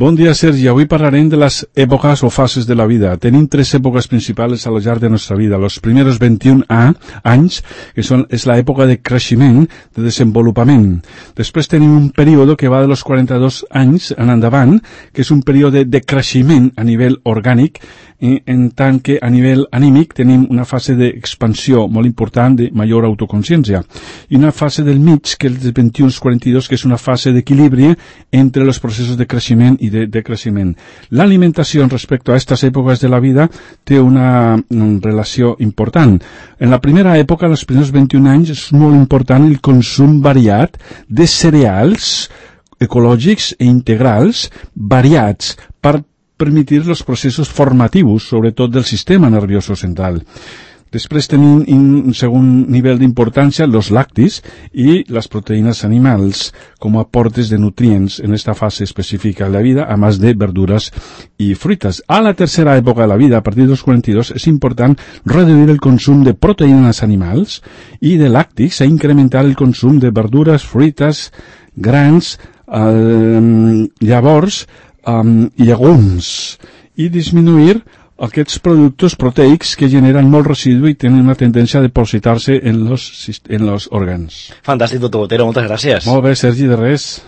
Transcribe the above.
Bon dia, Sergi. Avui parlarem de las épocas o fases de la vida. Tenim tres épocas principales a lo llarg de nuestra vida. Los primeros 21 anys, que és la època de creixement, de desenvolupament. Després tenim un període que va de los 42 anys en endavant, que és un període de creixement a nivell orgànic, en tant que a nivell anímic tenim una fase d'expansió molt important de major autoconsciència. I una fase del mig, que és dels 21 als 42, que és una fase d'equilibri entre els processos de creixement i de decreixement. L'alimentació respecte a aquestes èpoques de la vida té una relació important. En la primera època, els primers 21 anys, és molt important el consum variat de cereals ecològics i integrals variats per permitir els processos formatius, sobretot del sistema nervioso central. Després tenim un segon nivell d'importància els lactis i les proteïnes animals com a aportes de nutrients en esta fase específica de la vida, a més de verdures i fruites. A la tercera època de la vida, a partir dels 42, és important reduir el consum de proteïnes animals i de làctics, incrementar el consum de verdures, fruites, grans, llavors i llegums, i disminuir aquests productes proteics que generen molt residu i tenen una tendència a depositar-se en los òrgans. Fantàstic, doctor Botero, moltes gràcies. Molt bé, Sergi, de res.